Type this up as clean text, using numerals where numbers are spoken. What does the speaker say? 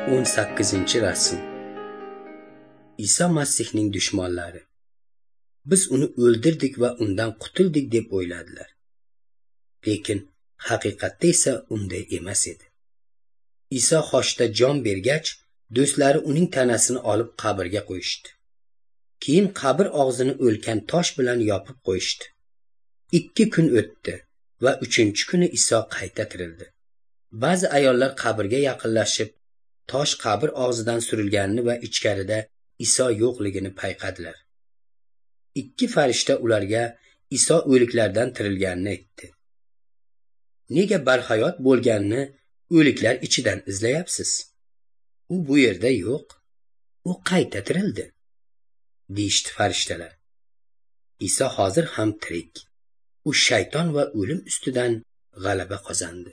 18-rasm. Iso Masihning dushmanlari. Biz uni o'ldirdik va undan qutuldik deb o'yladilar. Lekin haqiqatda esa unday emas edi. Iso xochda jon bergach, do'stlari uning tanasini olib qabrga qo'yishdi. Keyin qabr og'zini o'lkan tosh bilan yopib qo'yishdi. 2 kun o'tdi va 3-kuni Iso qayta tirildi. Ba'zi ayollar qabrga yaqinlashib, tosh qabr og'zidan surilganini va ichkarida Iso yo'qligini payqadilar. 2 farishta ularga Iso o'liklardan tirilganini aytdi. Nega barhayot bo'lganini o'liklar ichidan izlayapsiz? U bu yerda yo'q. U qayta tirildi, deyishdi farishtalar. Iso hozir ham tirik. U shayton va o'lim ustidan g'alaba qozondi.